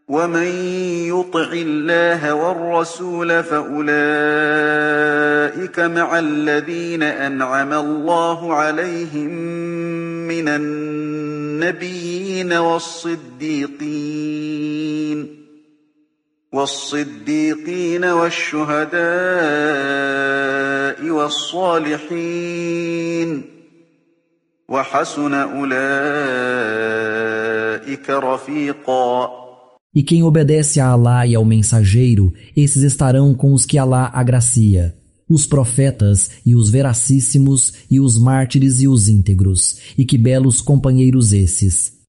ومن يطع الله والرسول فأولئك مع الذين أنعم الله عليهم من النبيين والصديقين والشهداء والصالحين وحسن أولئك رفيقا. E quem obedece a Alá e ao mensageiro, esses estarão com os que Alá agracia, os profetas e os veracíssimos e os mártires e os íntegros, e que belos companheiros esses.